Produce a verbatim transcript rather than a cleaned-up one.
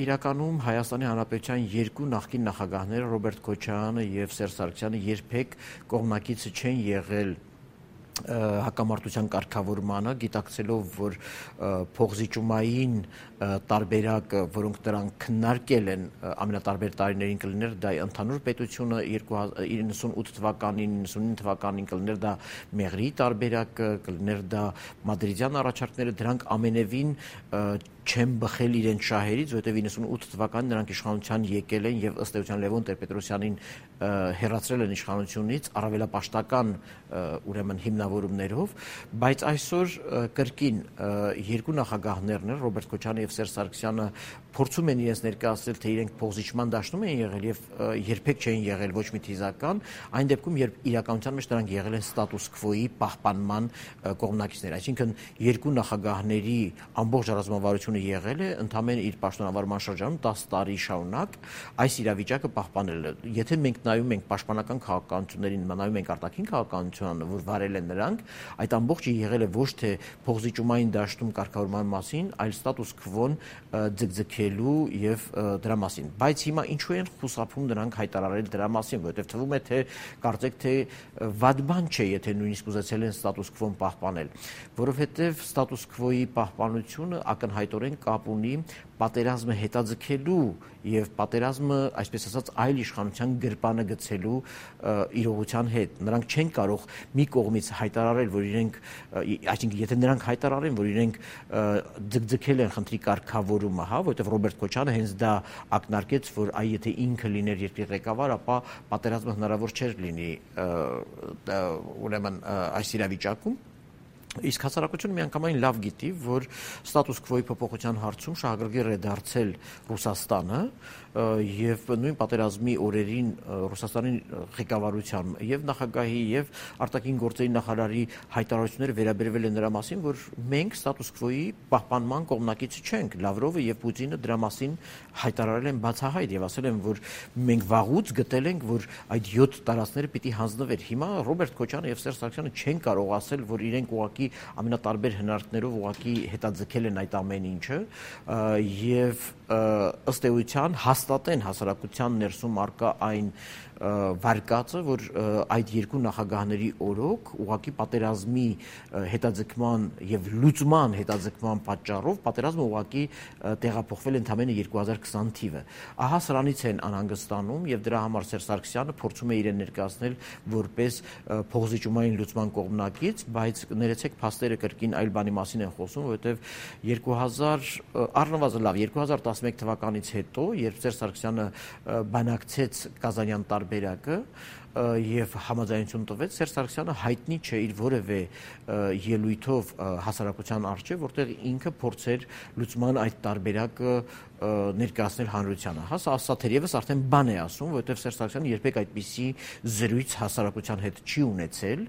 Իրականում Հայաստանի Հանրապետության երկու նախկին նախագահները Ռոբերտ Քոչարյանը եւ Սերժ Սարգսյանը երբեք կողմնակիցը չեն եղել հակամարտության կարգավորմանը, գիտակցելով, որ փոխզիջումային տարբերակը, որոնք դրանք քննարկել են ամենատարբեր տարիներին կլիներ, դա ընդհանուր պետությունը իննսունութ թվականին, իննսունինը թվականին կլիներ դա Մեղրիի տարբերակը, կլիներ դա Մադրիդյան առաջարկները, դրանք ամենևին չեն բխել իրենց շահերից, որովհետև իննսունութ թվականին նրանք իշխանության եկել են եւ ըստ էության Լևոն Տեր-Պետրոսյանին հեռացրել են իշխանությունից առավելապաշտական ուրեմն հիմնավորումներով, բայց այսօր կրկին երկու նախագահներն են Ռոբերտ Քոչարյանը եւ Սերժ Սարգսյանը փորձում են իրենց ներկայացնել, թե իրենք փոխզիջման դաշտում են եղել եւ երբեք չեն եղել ոչ մի թիզական, այն դեպքում երբ իրականության մեջ նրանք եղել են ստատուս քվոյի պահպանման կողմնակիցներ, այսինքն երկու նախագահների ամբողջ ռազմավարությունը եղել է ընդամենը իր պաշտոնավարման շրջանում տասը տարի շարունակ այս իրավիճակը պահպանել է։ Եթե մենք նայում ենք պաշտպանական քաղաքականություններին, նայում ենք արտաքին քաղաքականությանը, որ վարել են նրանք, այդ ամբողջը եղել է ոչ թե փոխզիջումային դաշտում կարգավորման մասին, այլ ստատուս քվոն ձգձգելու եւ դրա մասին։ Բայց հիմա ինչու են խուսափում նրանք հայտարարել դրա մասին, որովհետեւ թվում է թե կարծեք թե վատ բան չէ, եթե նույնիսկ ուզեցել են ստատուս քվոն պահպանել, որովհետեւ ստատուս քվոյի պահպանությունը ակնհայտորեն կապ ունի պատերազմը հետաձգելու եւ պատերազմը, այսպես ասած, այլ իշխանության գրպանը գցելու իրողության հետ։ Նրանք չեն կարող մի կողմից հայտարարել, որ իրենք, այսինքն եթե նրանք հայտարարեն, որ իրենք ձգձգել են խնդրի կարգավորումը, հա, որովհետեւ Ռոբերտ Քոչարյանը հենց դա ակնարկեց, որ այ եթե ինքը լիներ երկրի ղեկավար, ապա պատերազմը հնարավոր չէր լինի ուրեմն այս իրավիճակում։ Իսկ հասարակությունը միանգամայն լավ գիտի, որ ստատուս քվոյի փոփոխության հարցում շահագրգիռ է դարձել Ռուսաստանը եւ նույն պատերազմի օրերին Ռուսաստանի ղեկավարության եւ նախագահի եւ արտաքին գործերի նախարարի հայտարարությունները վերաբերվել են նրա մասին, որ մենք ստատուս քվոյի պահպանման կողմնակիցը չենք։ Լավրովը եւ Պուտինը դրա մասին հայտարարել են բացահայտ եւ ասել են, որ մենք վաղուց գտել ենք, որ այդ յոթ տարածքները պիտի հանձնվեր։ Հիմա Ռոբերտ Քոչարյանը եւ Սերժ Սարգսյանը չեն կարող ասել, որ իրենք ուղղակի ամենատարբեր հնարքներով ուղղակի հետաձգել են այդ ամեն ինչը եւ ըստ էության հաստատեն հասարակության ներսում արկա այն վարկածը, որ այդ երկու նախագահների օրոք ուղղակի պատերազմի հետաձգման եւ լուծման հետաձգման պատճառով պատերազմը ուղղակի տեղափոխվել ընդամենը երկու հազար քսան թիվը։ Ահա սրանից են անհանգստանում եւ դրա համար Սերժ Սարգսյանը փորձում է իրեն ներկայացնել որպես փոխզիջումային լուծման կողմնակից, բայց ներեցեք փաստերը կրկին այլ բանի մասին են խոսում, որովհետեւ երկու հազար առնվազն լավ երկու հազար տասնմեկ թվականից հետո, երբ Սերժ Սարգսյանը բանակցեց Կազանյան տարբերակը եւ համաձայնություն տվեց, Սերժ Սարգսյանը հայտնի չէ իր որևէ ելույթով հասարակության առջեւ, որտեղ ինքը փորձեր լուծման այդ տարբերակը ներկայացնել հանրությանը։ Հա, սա թերևս արդեն բան է ասում, որովհետեւ Սերժ Սարգսյանը երբեք այդպիսի զրույց հասարակության հետ չի ունեցել